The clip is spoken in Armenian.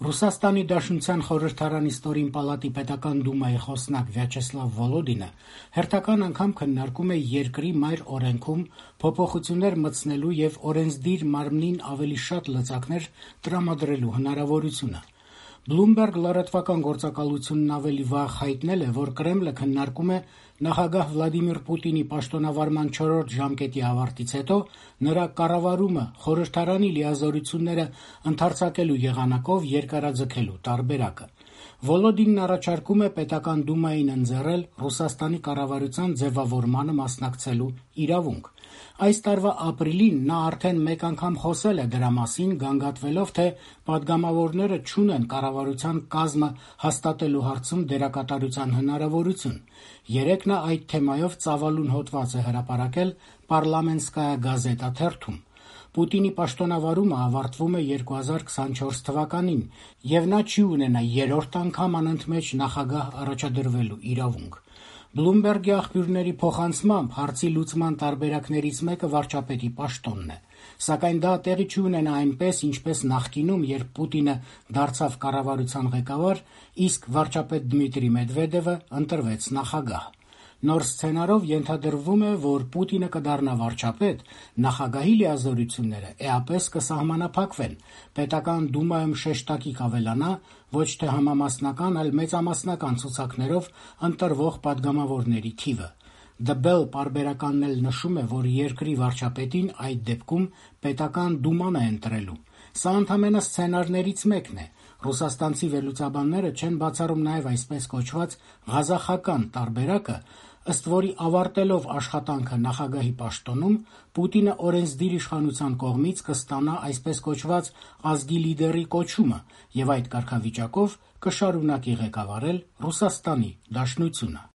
Ռուսաստանի Դաշնության խորհրդարանի ստորին պալատի պետական դումայի խոսնակ Վյաչեսլավ Վոլոդինը հերթական անգամ քննարկում է երկրի մայր օրենքում փոփոխություններ մտցնելու եւ օրենսդիր մարմնին ավելի շատ լծակներ տրամադրելու հնարավորությունը։ Bloomberg լրատվական գործակալությունն ավելի վաղ հայտնել է, որ Կրեմլը քննարկում է նախագահ Վլադիմիր Պուտինի պաշտոնավարման 4-րդ ժամկետի ավարտից հետո նրա կառավարումը խորհրդարանի լիազորությունները ընդարձակելու եղանակով երկարաձգելու տարբերակը։ Վոլոդինն առաջարկում է պետական դումային ընձեռել Ռուսաստանի կառավարության ձևավորմանը մասնակցելու իրավունք։ Այս տարվա ապրիլին նա արդեն մեկ անգամ խոսել է դրա մասին, գանգատվելով, թե պատգամավորները չունեն կառավարության կազմը հաստատելու հարցում դերակատարության հնարավորություն։ Երեկ նա այդ թեմայով ծավալուն հոդված է հրապարակել «Պարլամենտսկայա գազետա» թերթում։ Պուտինի պաշտոնավարումը ավարտվում է 2024 թվականին, եւ նա չի ունենա երրորդ անգամ անընդմեջ նախագահ առաջադրվելու իրավունք։ Bloomberg-ի աղբյուրների փոխանցմամբ հարցի լուծման տարբերակներից մեկը վարչապետի պաշտոնն է, սակայն դա տեղի չի ունենա այնպես, ինչպես նախկինում, երբ Պուտինը դարձավ կառավարության ղեկավար, իսկ վարչապետ Դմիտրի Մեդվեդևը ընտրվեց նախագահ։ Նոր սցենարով ենթադրվում է, որ Պուտինը կդառնա վարչապետ, նախագահի լիազորությունները էապես կսահմանափակվեն, պետական դումայում շեշտակի կավելանա ոչ թե համամասնական, այլ մեծամասնական ցուցակներով ընտրվող պատգամավորների թիվը։ The Bell պարբերականն էլ նշում է, որ երկրի վարչապետին այդ դեպքում պետական դուման է ընտրելու։ Սա ընդամենը սցենարներից մեկն է։ Ռուսաստանցի վերլուծաբանները չեն բացառում նաև այսպես կոչված «ղազախական» տարբերակը, ըստ որի ավարտելով աշխատանքը նախագահի պաշտոնում, Պուտինը օրենսդիր իշխանության կողմից կստանա այսպես կոչված ազգի լիդերի կոչումը եւ այդ կարգավիճակով կշարունակի ղեկավարել Ռուսաստանի Դաշնությունը։